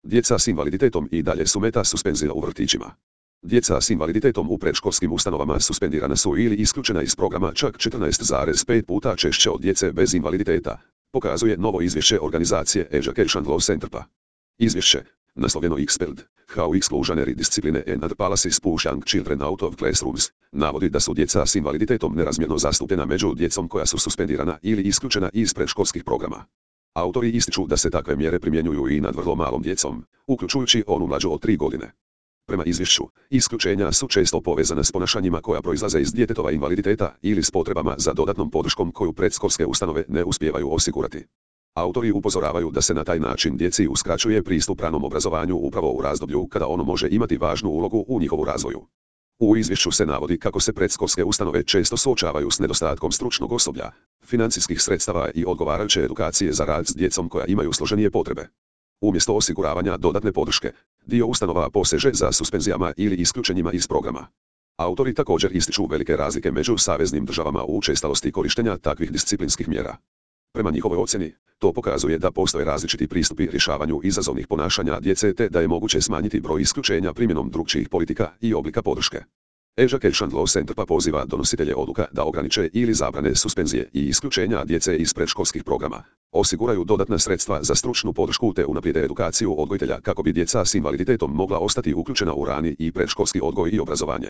Djeca s invaliditetom i dalje su meta suspenzija u vrtićima. Djeca s invaliditetom u predškolskim ustanovama suspendirana su ili isključena iz programa čak 14,5 puta češće od djece bez invaliditeta, pokazuje novo izvješće organizacije Education Law Centerpa. Izvješće, naslovljeno Expelled, How Exclusionary Discipline and Policies Push Young Children Out of Classrooms, navodi da su djeca s invaliditetom nerazmjerno zastupljena među djecom koja su suspendirana ili isključena iz predškolskih programa. Autori ističu da se takve mjere primjenjuju i nad vrlo malom djecom, uključujući onu mlađu od 3 godine. Prema izvješću, isključenja su često povezana s ponašanjima koja proizlaze iz djetetova invaliditeta ili s potrebama za dodatnom podrškom koju predškolske ustanove ne uspijevaju osigurati. Autori upozoravaju da se na taj način djeci uskraćuje pristup ranom obrazovanju upravo u razdoblju kada ono može imati važnu ulogu u njihovu razvoju. U izvješću se navodi kako se predškolske ustanove često suočavaju s nedostatkom stručnog osoblja, financijskih sredstava i odgovarajuće edukacije za rad s djecom koja imaju složenije potrebe. Umjesto osiguravanja dodatne podrške, dio ustanova poseže za suspenzijama ili isključenjima iz programa. Autori također ističu velike razlike među saveznim državama u učestalosti korištenja takvih disciplinskih mjera. Prema njihovoj ocjeni, to pokazuje da postoje različiti pristupi rješavanju izazovnih ponašanja djece te da je moguće smanjiti broj isključenja primjenom drukčijih politika i oblika podrške. Education Law Center pa poziva donositelje odluka da ograniče ili zabrane suspenzije i isključenja djece iz predškolskih programa, osiguraju dodatna sredstva za stručnu podršku te unaprijede edukaciju odgojitelja kako bi djeca s invaliditetom mogla ostati uključena u rani i predškolski odgoj i obrazovanje.